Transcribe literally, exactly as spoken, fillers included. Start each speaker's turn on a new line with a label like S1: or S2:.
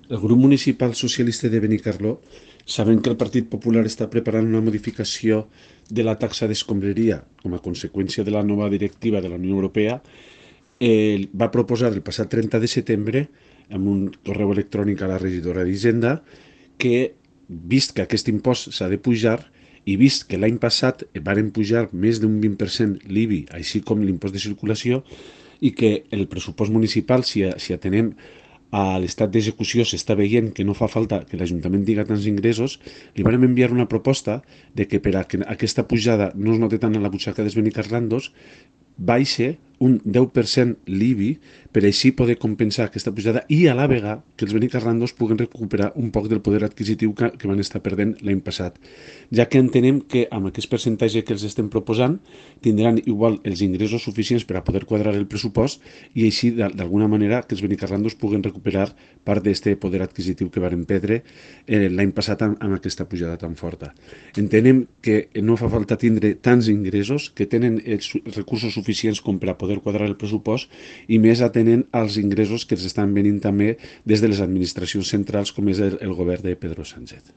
S1: El grup municipal socialista de Benicarló, sabent que el Partit Popular està preparant una modificació de la taxa d'escombraria com a conseqüència de la nova directiva de la Unió Europea, eh, va proposar el passat trenta de setembre, amb un correu electrònic a la regidora d'Hisenda, que, vist que aquest impost s'ha de pujar i vist que l'any passat varen pujar més d'un vint per cent l'I B I, així com l'impost de circulació, i que el pressupost municipal, si, si atenem a l'estat d'execució, s'està veient que no fa falta que l'Ajuntament diga tants ingressos, li vam enviar una proposta de que per a que aquesta pujada no es noti tant a la butxaca dels benicarlandos, baixe un deu per cent l'I B I per així poder compensar aquesta pujada i a la vegada que els benicarlandos puguen recuperar un poc del poder adquisitiu que, que van estar perdent l'any passat, ja que entenem que amb aquest percentatge que els estem proposant tindran igual els ingressos suficients per a poder quadrar el pressupost i així d'alguna manera que els benicarlandos puguen recuperar part d'aquest poder adquisitiu que varen perdre eh, l'any passat amb, amb aquesta pujada tan forta. Entenem que no fa falta tindre tants ingressos, que tenen els recursos suficients com per a poder quadrar el pressupost i més atenent als ingressos que els estan venint també des de les administracions centrals com és el, el govern de Pedro Sánchez.